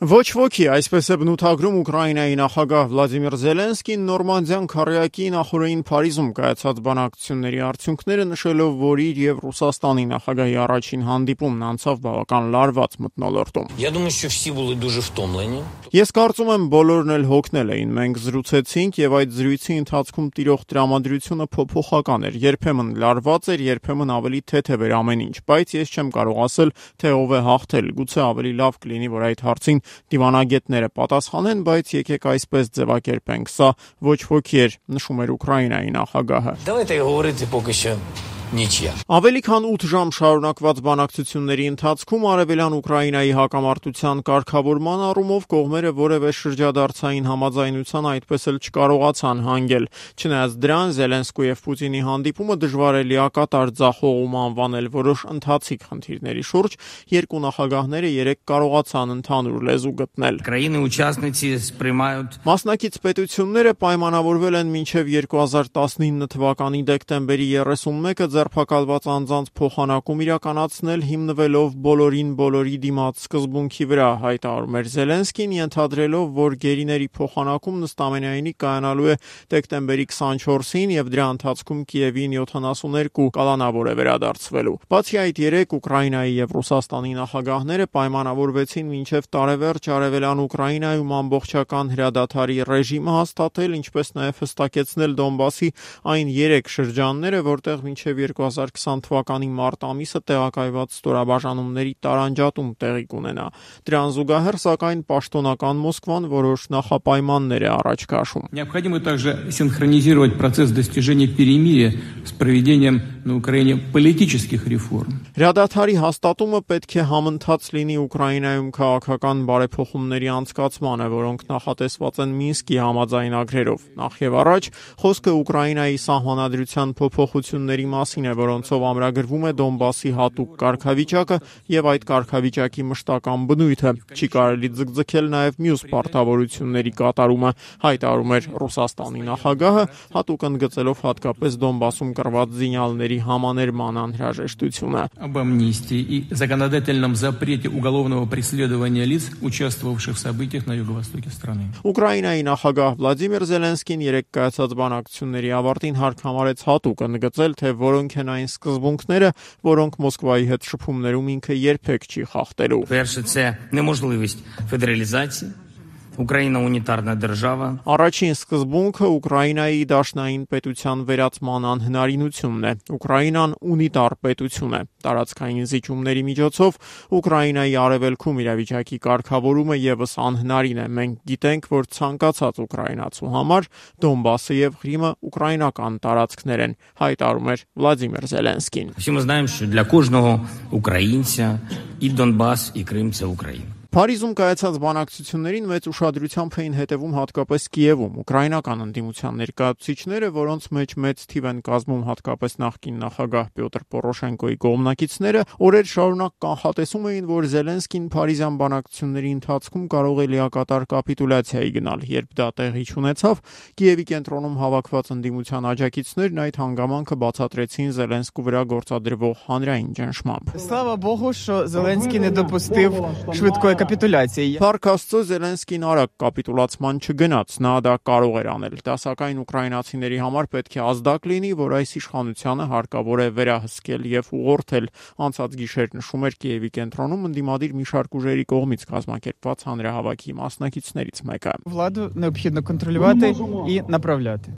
Ոչ ոքի, այսպես է բնութագրում Ուկրաինայի նախագահ Վլադիմիր Զելենսկին Նորմանդիան քառյակի նախօրեին Փարիզում կայացած բանակցությունների արդյունքները, նշելով, որ իր եւ Ռուսաստանի նախագահի առաջին հանդիպումն անցավ բավական լարված մթնոլորտում։ Ես կարծում եմ, բոլորն էլ հոգնել էին։ Մենք զրուցեցինք եւ այդ զրույցի ընթացքում տիրող տրամադրությունը փոփոխական էր, երբեմն լարված էր, երբեմն ավելի թեթև էր ամեն ինչ, բայց ես չեմ կարող ասել, թե ով է հաղթել։ Գուցե ավելի լավ կլինի, որ այդ հարցին դիվանագետները պատասխանեն, բայց եկեք այսպես ձևակերպենք, սա ոչ ոքի էր, նշում էր Ուկրաինայի նախագահը։ Ավելի քան 8 ժամ շարունակված բանակցությունների ընթացքում արևելյան Ուկրաինայի հակամարտության կարգավորման առումով կողմերը որևէ շրջադարձային համաձայնության այդպես էլ չկարողացան հանգել։ Չնայած դրան, Զելենսկու եւ Պուտինի հանդիպումը դժվար է լիակատար ձախողում անվանել որոշ ընթացիկ խնդիրների շուրջ, երկու նախագահները երեկ կարողացան ընդհանուր լեզու գտնել։ Մասնակից պետությունները պայմանավորվել են մինչև 2019 թվականի դեկտեմբերի 31-ը ձերբակալված անձանց փոխանակում իրականացնել հիմնվելով բոլորին բոլորի դիմաց սկզբունքի վրա, հայտարարում էր Զելենսկին, ենթադրելով, որ գերիների փոխանակումն ըստամենայնի կայանալու է դեկտեմբերի 24-ին եւ դրա ընթացքում Կիևին 72 կալանավոր է վերադարձվելու։ Բացի այդ, երեք Ուկրաինայի եւ Ռուսաստանի նախագահները պայմանավորվեցին մինչև տարեվերջ արևելյան Ուկրաինայում ամբողջական հրադադարի ռեժիմը հաստատել, ինչպես նաեւ հստակեցնել Դոնբասի այն 3 շրջանները, որտեղ մինչև 2020 թվականի մարտ ամիսը տեղակայված ստորաբաժանումների տարանջատում տեղի կունենա։ Դրան զուգահեռ, սակայն, պաշտոնական Մոսկվան որոշ նախապայմաններ է առաջ քաշում։ Необходимо также синхронизировать процесс достижения перемирия с проведением на Украине политических реформ. Հրադադարի հաստատումը պետք է համընթաց լինի Ուկրաինայում քաղաքական բարեփոխումների անցկացմանը, որոնք նախատեսված են Մինսկի համաձայնագրերով։ Նախ եւ առաջ խոսքը Ուկրաինայի սահմանադրության փոփոխությունների մասին է, որոնցով ամրագրվում է Դոնբասի հատուկ կարգավիճակը եւ այդ կարգավիճակի մշտական բնույթը։ Չի կարելի ձգձգել նաեւ մյուս պարտավորությունների կատարումը, հայտարարում էր Ռուսաստանի նախագահը, հատուկ ընդգծելով հատկապես Դոնբասում կռված զինյալների համաներման անհրաժեշտությունը։ Об амнистии и законодательном запрете уголовного преследования лиц, участвовавших в событиях на юго-востоке страны. Ուկրաինայի նախագահ Վլադիմիր Զելենսկին երեկ կայացած բանակցությունների ավարտին հարկ համարեց հատուկ ընդգծել, թե որոնք են այն սկզբունքները, որոնք Մոսկվայի հետ շփումներում ինքը երբեք չի խախտելու։ Перше, це неможливість федералізації. Україна унітарна держава. Առաջին սկզբունքը Ուկրաինայի դաշնային պետության վերածման անհնարինությունն է։ Ուկրաինան ունիտար պետություն է։ Տարածքային զիջումների միջոցով Ուկրաինայի արևելքում իրավիճակի կարգավորումը եւս անհնարին է։ Մենք գիտենք, որ ցանկացած ուկրաինացու համար Դոնբասը եւ Ղրիմը ուկրաինական տարածքներ են, հայտարարում էր Վլադիմիր Զելենսկին։ Всі ми знаємо, що для кожного українця і Донбас, і Крим – це Україна. Փարիզում կայացած բանակցություններին մեծ ուշադրությամբ էին հետևում հատկապես Կիևում ուկրաինական ընդդիմության ներկայացուցիչները, որոնց մեջ մեծ թիվ են կազմում հատկապես նախկին նախագահ Պյոտր Պորոշենկոյի կողմնակիցները, օրեր շարունակ կանխատեսում էին, որ Զելենսկին Փարիզյան բանակցությունների ընթացքում կարող է լիակատար կապիտուլյացիայի գնալ, երբ դա տեղի չունեցավ, Կիևի կենտրոնում հավաքված ընդդիմության աջակիցներն այդ հանգամանքը բացատրեցին Զելենսկու վրա գործադրվող հանրային ճնշմամբ։ Слава Богу, що Зеленський не допустив швидкої կապիտուլյացիայի։ Փառք Աստծո, Զելենսկին արագ կապիտուլացման չգնաց, նա դա կարող էր անել։ Դա սակայն ուկրաինացիների համար պետք է ազդակ լինի, որ այս իշխանությանը հարկավոր է վերահսկել եւ ուղղորդել։ Անցած գիշեր, նշում էր Կիևի կենտրոնում ընդդիմադիր մի շարք ուժերի կողմից կազմակերպված հանրահավաքի մասնակիցներից մեկը։ Владу необхідно контролювати і направляти.